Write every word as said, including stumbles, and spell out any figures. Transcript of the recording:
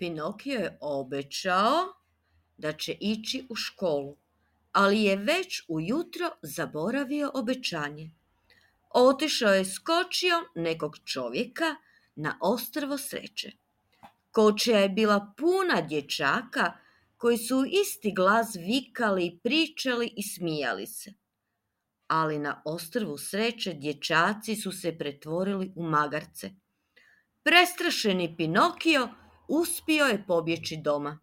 Pinokio je obećao da će ići u školu, ali je već ujutro zaboravio obećanje. Otišao je s kočijom nekog čovjeka na ostrvo sreće. Kočija je bila puna dječaka koji su u isti glas vikali, pričali i smijali se. Ali na ostrvu sreće dječaci su se pretvorili u magarce. Prestrašeni Pinokio uspio je pobjeći doma.